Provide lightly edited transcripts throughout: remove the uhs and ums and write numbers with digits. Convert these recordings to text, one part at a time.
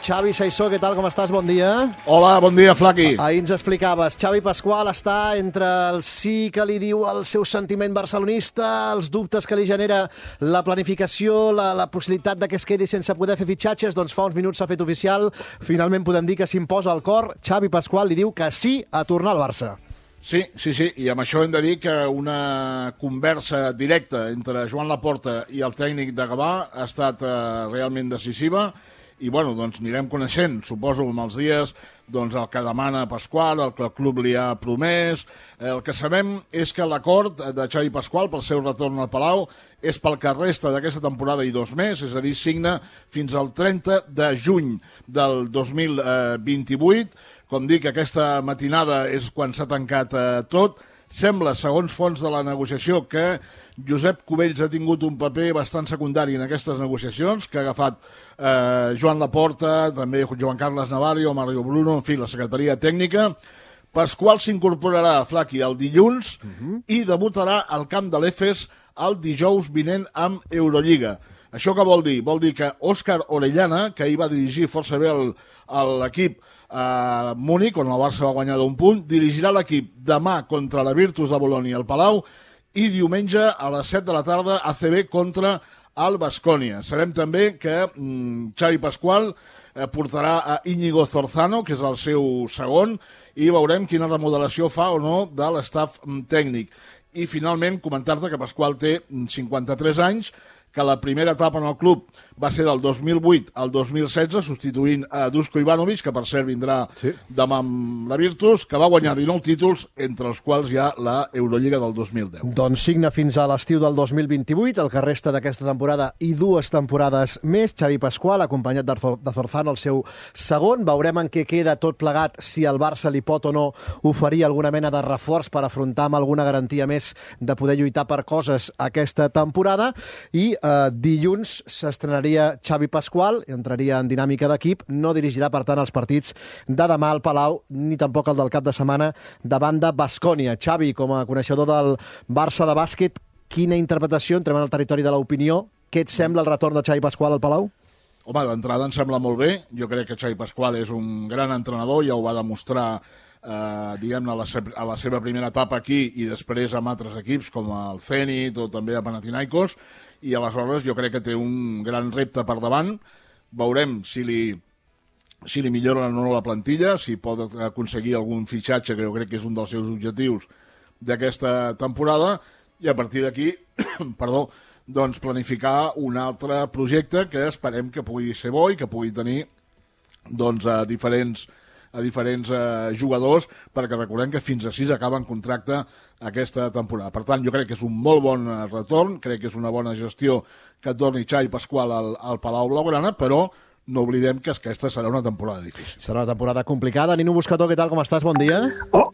Xavi Saissó, què tal, com estàs? Bon dia. Hola, bon dia, Flaqui. Ahir ens explicaves, Xavi Pasqual està entre el sí que li diu el seu sentiment barcelonista, els dubtes que li genera la planificació, la possibilitat de que es quedi sense poder fer fitxatges, doncs fa uns minuts s'ha fet oficial. Finalment podem dir que s'imposa el cor. Xavi Pasqual li diu que sí a tornar al Barça. Sí, i amb això hem de dir que una conversa directa entre Joan Laporta i el tècnic de Gavà ha estat realment decisiva i, bueno, doncs anirem coneixent, suposo, amb els dies, doncs el que demana Pasqual, el que el club li ha promès. El que sabem és que l'acord de Xavi Pasqual pel seu retorn al Palau és pel que resta d'aquesta temporada i 2 mesos, és a dir, signa fins al 30 de juny del 2028. Com dic, aquesta matinada és quan s'ha tancat tot. Sembla, segons fonts de la negociació, que Josep Cubells ha tingut un paper bastant secundari en aquestes negociacions, que ha agafat Joan Laporta, també Joan Carles Navarro, Mario Bruno, en fi, la secretaria tècnica. Pasqual s'incorporarà, Flaqui, el dilluns i debutarà al camp de l'Efes el dijous vinent amb Eurolliga. Això què vol dir? Vol dir que Òscar Orellana, que ahir va dirigir força bé l'equip a Múnich, on el Barça va guanyar d'un punt, dirigirà l'equip demà contra la Virtus de Bologna al Palau i diumenge a les 7 de la tarda ACB contra el Baskonia. Sabem també que Xavi Pasqual portarà a Íñigo Zorzano, que és el seu segon, i veurem quina remodelació fa o no de l'estaf tècnic. I finalment comentar-te que Pasqual té 53 anys, que la primera etapa en el club va ser del 2008 al 2016, substituint a Dusko Ivanovic, que per cert vindrà demà amb la Virtus, que va guanyar 19 títols, entre els quals hi ha la Eurolliga del 2010. Doncs signa fins a l'estiu del 2028, el que resta d'aquesta temporada i 2 temporades més. Xavi Pasqual, acompanyat de Zorzano, el seu segon. Veurem en què queda tot plegat, si el Barça li pot o no oferir alguna mena de reforç per afrontar amb alguna garantia més de poder lluitar per coses aquesta temporada. I dilluns s'estrenaria Xavi Pasqual, entraria en dinàmica d'equip, no dirigirà, per tant, els partits de demà al Palau, ni tampoc el del cap de setmana davant de Baskonia. Xavi, com a coneixedor del Barça de bàsquet, quina interpretació, entrem en el territori de l'opinió, què et sembla el retorn de Xavi Pasqual al Palau? Home, d'entrada em sembla molt bé. Jo crec que Xavi Pasqual és un gran entrenador, ja ho va demostrar diguem-ne, a la seva primera etapa aquí i després amb altres equips com el Zenit o també a Panathinaikos, i aleshores jo crec que té un gran repte per davant. Veurem si li milloren o no la plantilla, si pot aconseguir algun fitxatge, que jo crec que és un dels seus objectius d'aquesta temporada, i a partir d'aquí doncs planificar un altre projecte que esperem que pugui ser bo i que pugui tenir doncs a diferents jugadors, perquè recordem que fins a 6 acaben contracte aquesta temporada. Per tant, jo crec que és un molt bon retorn, crec que és una bona gestió que torni Xavi Pasqual al Palau Blaugrana, però no oblidem que aquesta serà una temporada difícil. Serà una temporada complicada. Nino Buscató, què tal, com estàs? Bon dia.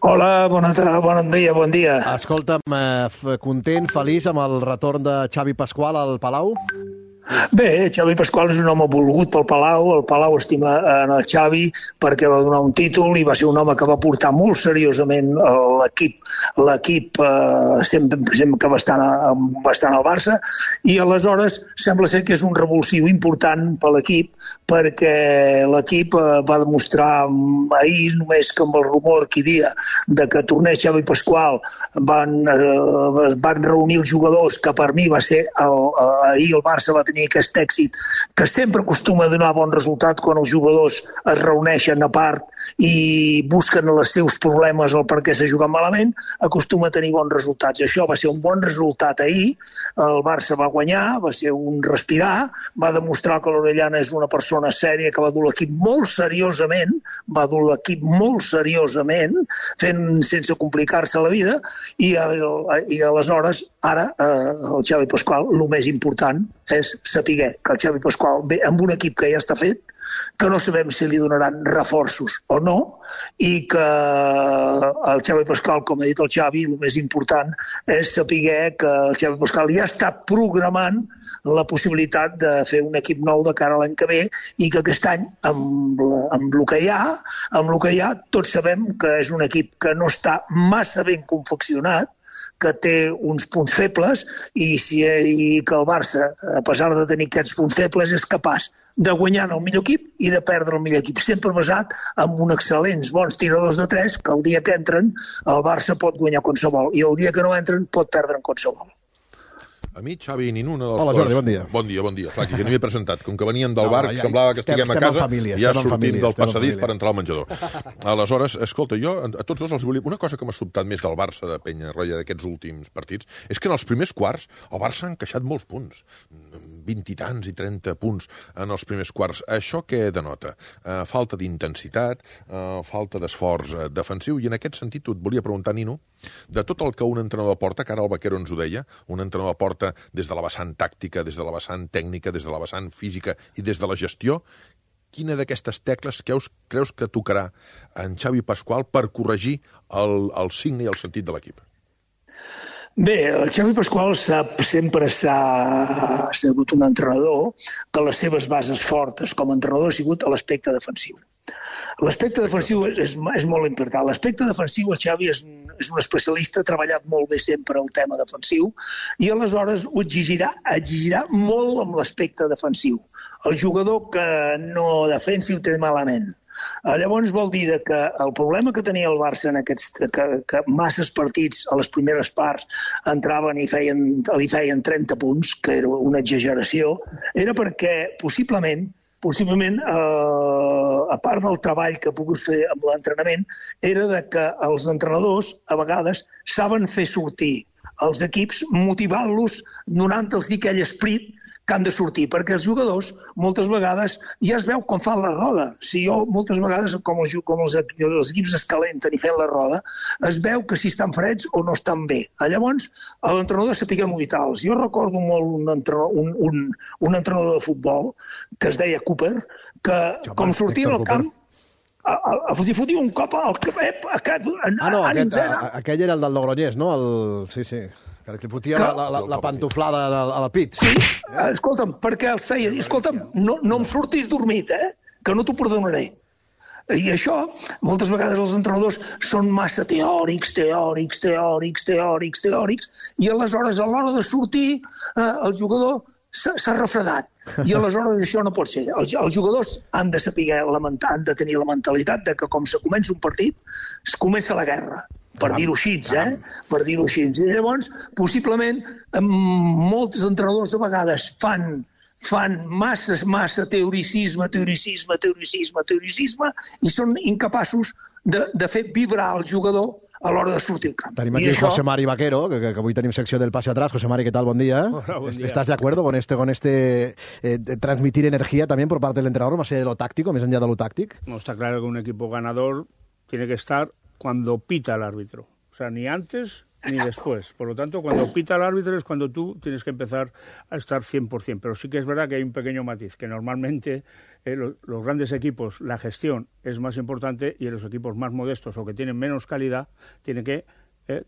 Hola, bon dia. Escolta'm, content, feliç amb el retorn de Xavi Pasqual al Palau? Bé, Xavi Pasqual és un home volgut pel Palau, el Palau estima en el Xavi perquè va donar un títol i va ser un home que va portar molt seriosament l'equip sempre que va estar al Barça, i aleshores sembla ser que és un revulsiu important per l'equip, perquè l'equip va demostrar ahir, només que amb el rumor que hi havia de que tornés Xavi Pasqual, van reunir els jugadors, que per mi va ser ahir el Barça va tenir aquest èxit que sempre acostuma a donar bon resultat quan els jugadors es reuneixen a part i busquen els seus problemes o per què s'ha jugat malament, acostuma a tenir bons resultats. Això va ser un bon resultat ahir, el Barça va guanyar, va ser un respirar, va demostrar que l'Orellana és una persona sèria que va dur l'equip molt seriosament, fent sense complicar-se la vida, i aleshores ara el Xavi Pasqual, el més important és saber que el Xavi Pasqual ve amb un equip que ja està fet, que no sabem si li donaran reforços o no, i que el Xavi Pasqual, com ha dit el Xavi, el més important és saber que el Xavi Pasqual ja està programant la possibilitat de fer un equip nou de cara a l'any que ve, i que aquest any, amb el que hi ha, tots sabem que és un equip que no està massa ben confeccionat, que té uns punts febles i que el Barça, a pesar de tenir aquests punts febles, és capaç de guanyar el millor equip i de perdre el millor equip, sempre basat en uns excel·lents bons tiradors de 3 que el dia que entren el Barça pot guanyar qualsevol i el dia que no entren pot perdre en qualsevol. A mi, Xavi i Nino, una de les Hola, coses... Jordi, bon dia. Bon dia, Flaqui, que no hi he presentat. Com que veníem del bar, semblava que estiguem a casa i ja sortim del passadís per entrar al menjador. Aleshores, escolta, jo a tots dos els volia... Una cosa que m'ha sobtat més del Barça de Penyarroia d'aquests últims partits és que en els primers quarts el Barça ha encaixat molts punts. 20 i tants i 30 punts en els primers quarts. Això què denota? Falta d'intensitat, falta d'esforç defensiu, i en aquest sentit et volia preguntar, Nino, de tot el que un entrenador porta, que ara el Vaquero ens ho deia, un entrenador porta des de la vessant tàctica, des de la vessant tècnica, des de la vessant física i des de la gestió, quina d'aquestes tecles creus que tocarà en Xavi Pasqual per corregir el signe i el sentit de l'equip? Bé, el Xavi Pasqual sempre s'ha sigut un entrenador que les seves bases fortes com a entrenador ha sigut a l'aspecte defensiu. L'aspecte defensiu és molt important. L'aspecte defensiu, el Xavi és un especialista, ha treballat molt bé sempre el tema defensiu i aleshores ho exigirà molt amb l'aspecte defensiu. El jugador que no defensi ho té malament. Llavors vol dir que el problema que tenia el Barça en que masses partits a les primeres parts entraven i li feien 30 punts, que era una exageració, era perquè possiblement, a part del treball que ha pogut fer amb l'entrenament, era que els entrenadors, a vegades, saben fer sortir els equips, motivant-los, donant-los aquell esperit que han de sortir, perquè els jugadors moltes vegades ja es veu com fan la roda. Si jo moltes vegades, com els equips es calenten i fan la roda, es veu que si estan freds o no estan bé. Llavors, l'entrenador sapiguer motivar-los. Jo recordo molt un entrenador de futbol que es deia Cooper, que com sortia al camp els fotia un cop al cap aquell era el del Logroñés, no? Sí. Que li fotia la pantoflada a la pit. Sí, escolta'm, perquè els feia... Escolta'm, no em surtis dormit, que no t'ho perdonaré. I això, moltes vegades els entrenadors són massa teòrics, i aleshores, a l'hora de sortir, el jugador s'ha refredat. I aleshores això no pot ser. Els jugadors han de saber han de tenir la mentalitat de que com se comença un partit, es comença la guerra. Per dir-ho així, Per dir-ho així. I llavors, possiblement, molts entrenadors a vegades fan massa teoricisme i són incapaços de fer vibrar el jugador a l'hora de sortir al camp. Tenim aquí José Mari Vaquero, que avui tenim secció del pase atrás. José Mari, ¿qué tal? Buen día. Hola, buen día. ¿Estás de acuerdo con este transmitir energía también por parte del entrenador, más allá de lo táctico, más allá de lo táctico? No, está claro que un equipo ganador tiene que estar cuando pita el árbitro. O sea, ni antes ni después. Por lo tanto, cuando pita el árbitro es cuando tú tienes que empezar a estar 100%. Pero sí que es verdad que hay un pequeño matiz, que normalmente los grandes equipos, la gestión es más importante y en los equipos más modestos o que tienen menos calidad, tienen que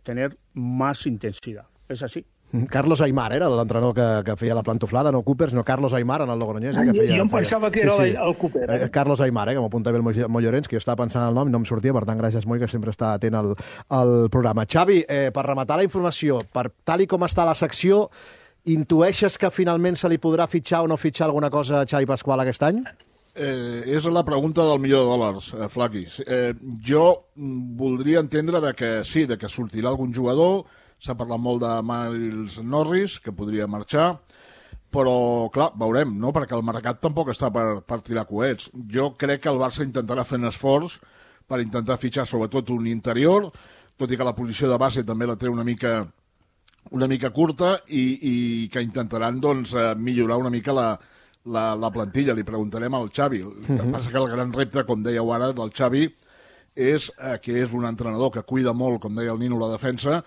tener más intensidad. Es así. Carlos Aimar era l'entrenador que feia la plantoflada, no Cooper, sinó Carlos Aimar en el Logroñés. Jo em pensava que era el Cooper. Carlos Aimar, que m'apuntava el Mollorens, que jo estava pensant el nom i no em sortia, per tant, gràcies, Moi, que sempre està atent al programa. Xavi, per rematar la informació, tal i com està la secció, intueixes que finalment se li podrà fitxar o no fitxar alguna cosa a Xavi Pasqual aquest any? És la pregunta del milió de dòlars, Flaqui. Jo voldria entendre que sí, que sortirà algun jugador. S'ha parlat molt de Miles Norris, que podria marxar, però, clar, veurem, no? Perquè el mercat tampoc està per tirar coets. Jo crec que el Barça intentarà fer un esforç per intentar fitxar sobretot un interior, tot i que la posició de base també la té una mica curta i que intentaran doncs, millorar una mica la plantilla. Li preguntarem al Xavi. El que passa que el gran repte, com dèieu ara, del Xavi és que és un entrenador que cuida molt, com deia el Nino, la defensa,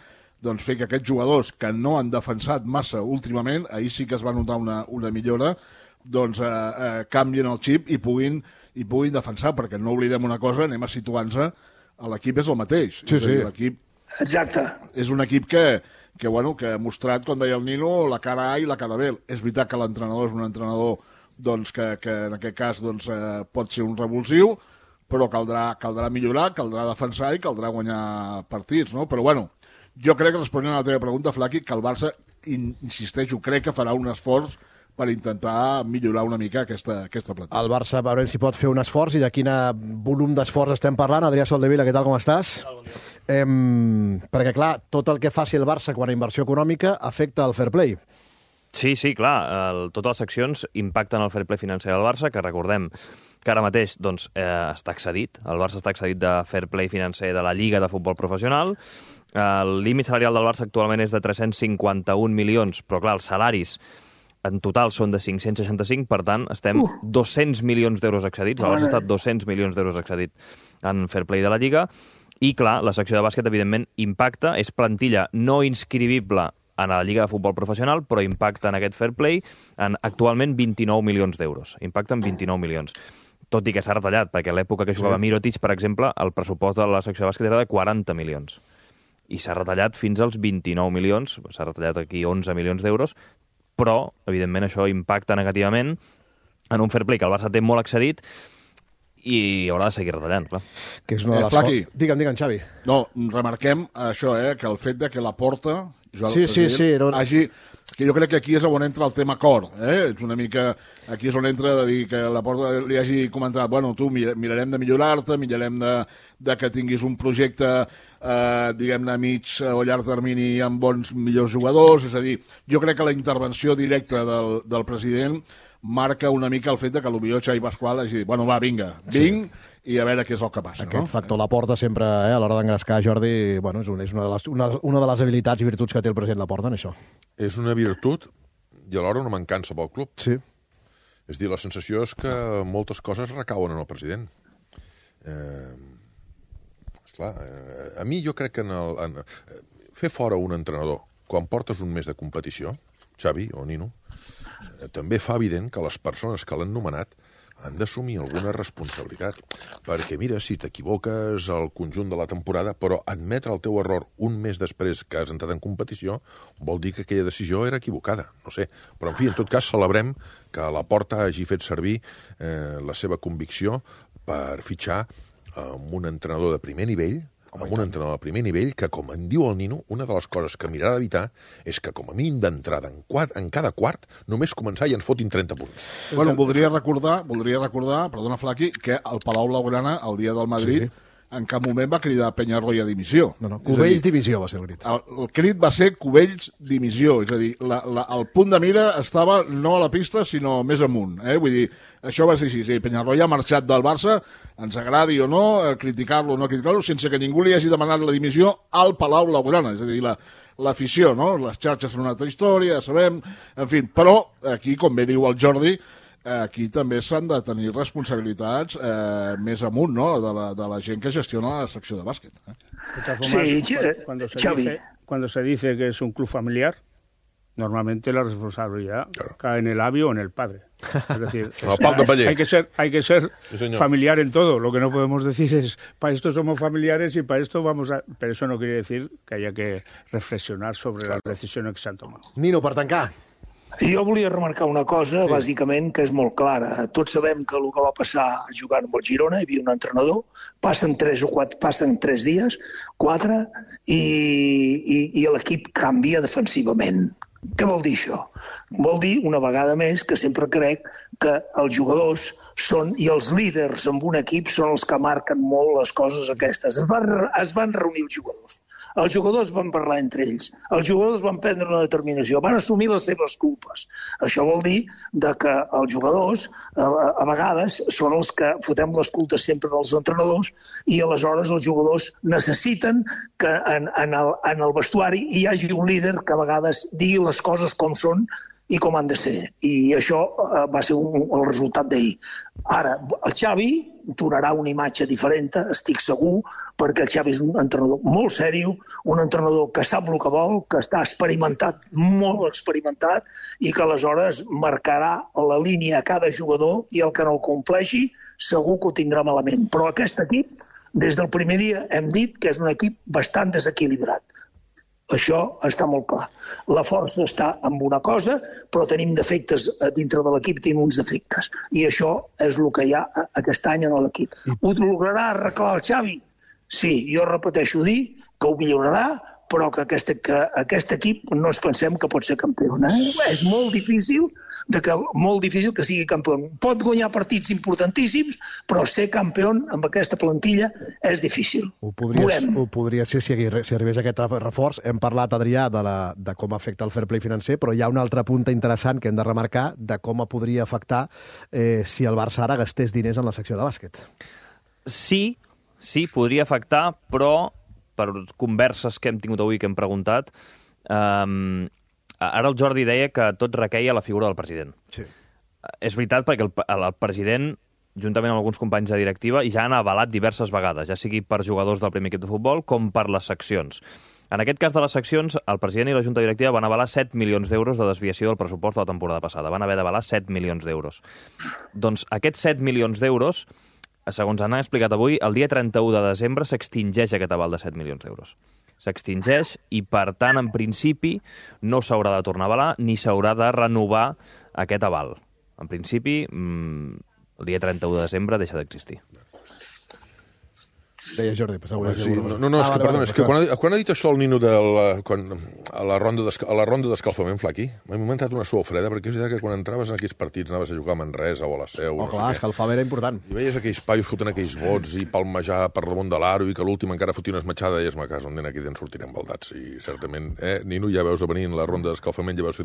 doncs fer que aquests jugadors que no han defensat massa últimament, ahir sí que es va notar una millora, doncs canvien el xip i puguin defensar, perquè no oblidem una cosa, anem a situar-nos, l'equip és el mateix. Sí, sí. L'equip Exacte. és un equip que ha mostrat, com deia el Nino, la cara A i la cara B. És veritat que l'entrenador és un entrenador doncs, que en aquest cas doncs, pot ser un revulsiu, però caldrà millorar, caldrà defensar i caldrà guanyar partits, no? Però bueno, Jo crec que, responent a la teva pregunta, Flaqui, que el Barça, insisteixo, crec que farà un esforç per intentar millorar una mica aquesta plantilla. El Barça, a veure si pot fer un esforç, i de quin volum d'esforç estem parlant. Adrià Soldevila, què tal, com estàs? Bon dia. Perquè, clar, tot el que faci el Barça quan a inversió econòmica afecta el fair play. Sí, clar, totes les seccions impacten el fair play financer del Barça, que recordem que ara mateix està excedit. El Barça està excedit de fair play financer de la Lliga de Futbol Professional. El límit salarial del Barça actualment és de 351 milions, però clar, els salaris en total són de 565, per tant, estem 200 milions d'euros excedits. El Barça ha estat 200 milions d'euros excedit en fair play de la Lliga. I, clar, la secció de bàsquet, evidentment, impacta. És plantilla no inscrivible en la Lliga de Futbol Professional, però impacta en aquest fair play en actualment 29 milions d'euros. Impacta en 29 milions. Tot i que s'ha retallat, perquè a l'època que jugava Mirotic, per exemple, el pressupost de la secció de bàsquet era de 40 milions. I s'ha retallat fins als 29 milions, s'ha retallat aquí 11 milions d'euros, però, evidentment, això impacta negativament en un fair play que el Barça té molt excedit i haurà de seguir retallant, clar. Que és una de les Flaqui. Digue'm, Xavi. No, remarquem això, que el fet de que la Porta, sí, hagi... Que jo crec que aquí és on entra el tema cor, És una mica... Aquí és on entra de dir que la Porta li hagi comentat, bueno, tu mirarem de millorar-te, mirarem de que tinguis un projecte, diguem-ne, a mig o llarg termini amb bons, millors jugadors. És a dir, jo crec que la intervenció directa del president marca una mica el fet de que potser Xavi Pasqual hagi dit, bueno, va, vinga, i a veure què és el que passa. Aquest factor Laporta sempre, a l'hora d'engrescar, Jordi, bueno, és una de les habilitats i virtuts que té el president Laporta en això. És una virtut i alhora una mancança pel club. Sí. És dir, la sensació és que moltes coses recauen en el president. Esclar, a mi jo crec que fer fora un entrenador quan portes un mes de competició, Xavi o Nino, també fa evident que les persones que l'han nomenat han d'assumir alguna responsabilitat. Perquè, mira, si t'equivoques al conjunt de la temporada, però admetre el teu error un mes després que has entrat en competició, vol dir que aquella decisió era equivocada. No sé. Però, en fi, en tot cas, celebrem que Laporta hagi fet servir la seva convicció per fitxar amb un entrenador de primer nivell, que, com en diu el Nino, una de les coses que mirarà d'evitar és que, com a mínim d'entrada, en cada quart, només començar i ens fotin 30 punts. Bueno, voldria recordar, perdona, Flaqui, que el Palau Blaugrana, el dia del Madrid, en cap moment va cridar Peñarroya a dimissió. No, Cubells dimissió va ser el crit. El crit va ser Cubells dimissió, és a dir, el punt de mira estava no a la pista, sinó més amunt. Vull dir, això va ser així. Sí, Peñarroya ha marxat del Barça, ens agradi o no, criticar-lo o no criticar-lo, sense que ningú li hagi demanat la dimissió al Palau Blaugrana. És a dir, l'afició, no? Les xarxes són una altra història, ja sabem, en fi. Però aquí, com bé diu el Jordi, aquí també s'han de tenir responsabilitats més amunt, no?, de la gent que gestiona la secció de bàsquet. Sí, Xavi. Cuando se dice que es un club familiar, normalmente la responsabilidad cae en el avi o en el padre. Es decir, hay que ser familiar en todo. Lo que no podemos decir es, para esto somos familiares y para esto vamos a... Pero eso no quiere decir que haya que reflexionar sobre las decisiones que se han tomado. Nino, per tancar. Jo volia remarcar una cosa, bàsicament, que és molt clara. Tots sabem que el que va passar jugant amb el Girona, hi havia un entrenador, passen 3 dies, 4, i l'equip canvia defensivament. Què vol dir això? Vol dir, una vegada més, que sempre crec que els jugadors són, i els líders en un equip són els que marquen molt les coses aquestes. Es van reunir els jugadors. Els jugadors van parlar entre ells. Els jugadors van prendre una determinació. Van assumir les seves culpes. Això vol dir que els jugadors, a vegades, són els que fotem les culpes sempre dels entrenadors i aleshores els jugadors necessiten que en el vestuari hi hagi un líder que a vegades digui les coses com són i com han de ser. I això va ser el resultat d'ahir. Ara, el Xavi donarà una imatge diferent, estic segur, perquè el Xavi és un entrenador molt sèrio, un entrenador que sap el que vol, que està experimentat, molt experimentat, i que aleshores marcarà la línia a cada jugador i el que no el compleixi segur que ho tindrà malament. Però aquest equip, des del primer dia, hem dit que és un equip bastant desequilibrat. Això està molt clar. La força està en una cosa, però tenim defectes dintre de l'equip, tenim uns defectes. I això és el que hi ha aquest any en l'equip. Ho lograrà arreglar el Xavi? Sí, jo repeteixo dir que ho millorarà, però que aquest equip no ens pensem que pot ser campió. És molt difícil que sigui campió. Pot guanyar partits importantíssims, però ser campió amb aquesta plantilla és difícil. Ho podria ser si arribés aquest reforç. Hem parlat, Adrià, de com afecta el fair play financer, però hi ha un altre punt interessant que hem de remarcar de com podria afectar si el Barça ara gastés diners en la secció de bàsquet. Sí, podria afectar, però per converses que hem tingut avui, que hem preguntat, ara el Jordi deia que tot requeia la figura del president. Sí. És veritat, perquè el president, juntament amb alguns companys de directiva, ja han avalat diverses vegades, ja sigui per jugadors del primer equip de futbol com per les seccions. En aquest cas de les seccions, el president i la junta directiva van avalar 7 milions d'euros de desviació del pressupost de la temporada passada. Van haver d'avalar 7 milions d'euros. Doncs aquests 7 milions d'euros, segons han explicat avui, el dia 31 de desembre s'extingeix aquest aval de 7 milions d'euros. S'extingeix i, per tant, en principi, no s'haurà de tornar a avalar ni s'haurà de renovar aquest aval. En principi, el dia 31 de desembre deixa d'existir. Deia Jordi, sí, és que, perdona, és que quan ha dit això el Nino a la ronda d'escalfament, Flaqui, m'ha inventat una suor freda, perquè és veritat que quan entraves en aquells partits anaves a jugar a Manresa o a la Seu... clar, escalfament era important. I veies aquells paios fotent aquells vots i palmejar per damunt de l'aro i que l'últim encara fotia una esmatxada i ma casa, on nen aquí dents sortirem baldats. I certament, Nino, ja veus a venir en la ronda d'escalfament, ja veus...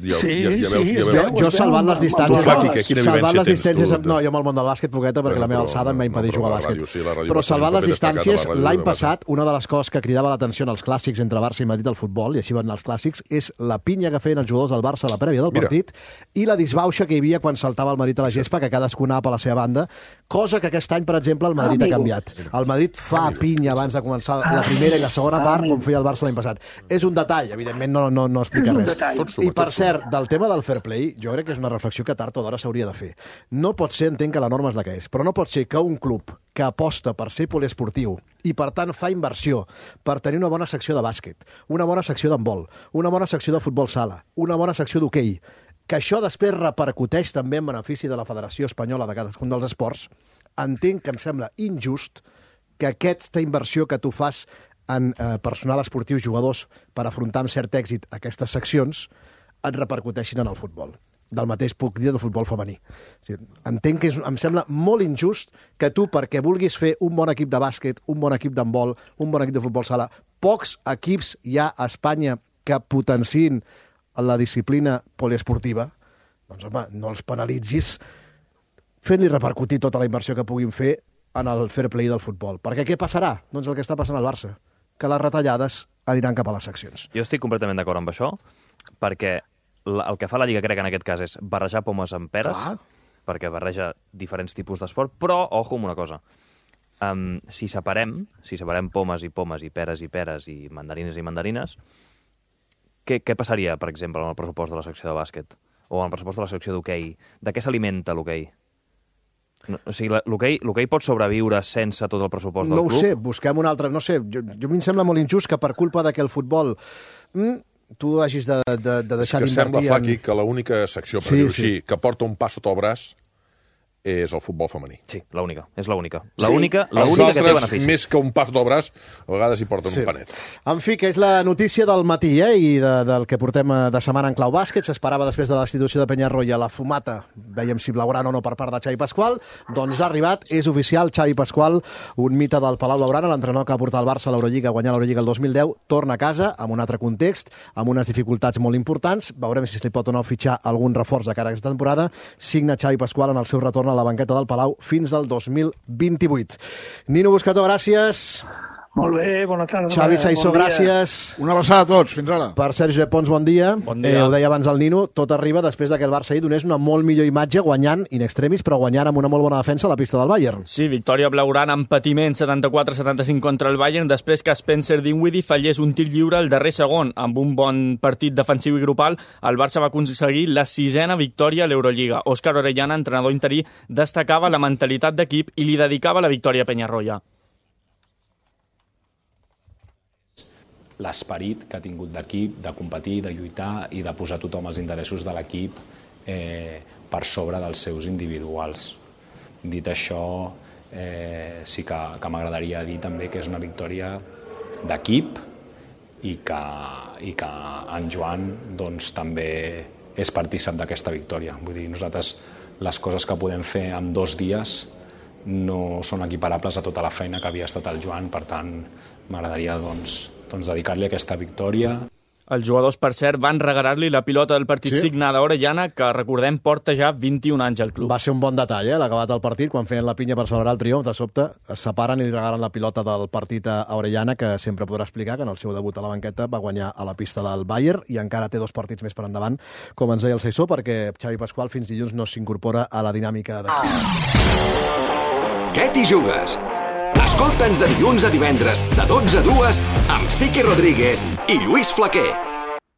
Jo salvant les distàncies... Flaqui, quina vivència tens tu? No, jo amb el món del bàsquet, poqueta, perquè la meva alçada em va impedir jugar a bàsquet. Però salvant les distàncies, l'any passat, una de les coses que cridava l'atenció en els clàssics entre Barça i Madrid al futbol, i així van anar els clàssics, és la pinya que feien els jugadors del Barça a la prèvia del partit i la disbauxa que hi havia quan saltava el Madrid a la gespa, que cadascú anava per la seva banda, cosa que aquest any, per exemple, el Madrid ha canviat. El Madrid fa pinya abans de començar la primera i la segona part, com feia el Barça l'any passat. És un detall, evidentment no explica res. I, per cert, del tema del fair play, jo crec que és una reflexió que tard o d'hora s'hauria de fer. No pot ser, entenc que la norma és la que és, però no pot ser que un club que aposta per ser poliesportiu i, per tant, fa inversió per tenir una bona secció de bàsquet, una bona secció d'handbol, una bona secció de futbol sala, una bona secció d'hoquei, que això després repercuteix també en benefici de la Federació Espanyola de cadascun dels esports, entenc que em sembla injust que aquesta inversió que tu fas en personal esportiu, jugadors, per afrontar amb cert èxit aquestes seccions, et repercuteixin en el futbol. Del mateix puc dir del futbol femení. O sigui, entenc que em sembla molt injust que tu, perquè vulguis fer un bon equip de bàsquet, un bon equip d'handbol, un bon equip de futbol sala, pocs equips hi ha a Espanya que potenciïn la disciplina poliesportiva, doncs, home, no els penalitzis fent-li repercutir tota la inversió que puguin fer en el fair play del futbol. Perquè què passarà? Doncs el que està passant al Barça, que les retallades aniran cap a les seccions. Jo estic completament d'acord amb això, perquè el que fa la Lliga, crec, en aquest cas, és barrejar pomes amb peres, perquè barreja diferents tipus d'esport, però, ojo amb una cosa, si separem pomes i peres i mandarines, què passaria, per exemple, en el pressupost de la secció de bàsquet? O en el pressupost de la secció d'hoquei? De què s'alimenta l'hoquei? O sigui, l'hoquei pot sobreviure sense tot el pressupost del club? No ho sé, busquem un altre... No sé, jo em sembla molt injust que per culpa de que el futbol... tu hagis de deixar d'invertir... És que sembla, Flaqui, que l'única secció, per dir-ho així, que porta un pas sota el braç és el futbol femení. Sí, l'única, és l'única. L'única que té beneficis. Més que un pas del braç, a vegades hi porten un panet. En fi, que és la notícia del matí, i del que portem de setmana en clau bàsquet. S'esperava després de la destitució de Peñarroya la fumata, veiem si blaugrana o no per part de Xavi Pasqual, doncs ha arribat, és oficial, Xavi Pasqual, un mite del Palau Blaugrana, l'entrenador que va portar el Barça a l'Eurolliga, a guanyar l'Eurolliga el 2010, torna a casa amb un altre context, amb unes dificultats molt importants. Veurem si se li pot o no fitxar algun reforç de cara a aquesta temporada. Signa Xavi Pasqual en el seu retorn a la banqueta del Palau fins al 2028. Nino Buscató, gràcies. Molt bé, bona tarda. Xavi Saissó, gràcies. Una abraçada a tots, fins ara. Per Sergi Pons, bon dia. Bon dia. Ho deia abans el Nino, tot arriba després que el Barça ahir donés una molt millor imatge guanyant in extremis, però guanyant amb una molt bona defensa a la pista del Bayern. Sí, victòria blaugrana amb patiment 74-75 contra el Bayern, després que Spencer Dinwiddie fallés un tir lliure al darrer segon. Amb un bon partit defensiu i grupal, el Barça va aconseguir la 6ª victòria a l'Eurolliga. Òscar Orellana, entrenador interí, destacava la mentalitat d'equip i li dedicava la victòria a Peñarroya. L'esperit que ha tingut d'equip, de competir, de lluitar i de posar tothom els interessos de l'equip per sobre dels seus individuals. Dit això, sí que m'agradaria dir també que és una victòria d'equip i que en Joan doncs, també és partícip d'aquesta victòria. Vull dir, nosaltres les coses que podem fer en 2 dies no són equiparables a tota la feina que havia estat el Joan, per tant m'agradaria dedicar-li aquesta victòria. Els jugadors, per cert, van regalar-li la pilota del partit signada a Orellana, que, recordem, porta ja 21 anys al club. Va ser un bon detall, l'acabat del partit, quan feien la pinya per celebrar el triomf, de sobte es separen i li regalen la pilota del partit a Orellana, que sempre podrà explicar que en el seu debut a la banqueta va guanyar a la pista del Bayern i encara té 2 partits més per endavant, com ens deia el Saissó, perquè Xavi Pasqual fins dilluns no s'incorpora a la dinàmica de... Què t'hi jugues? Escolta'ns de dilluns a divendres, de 12 a 2, amb Siqui Rodríguez i Lluís Flaquer.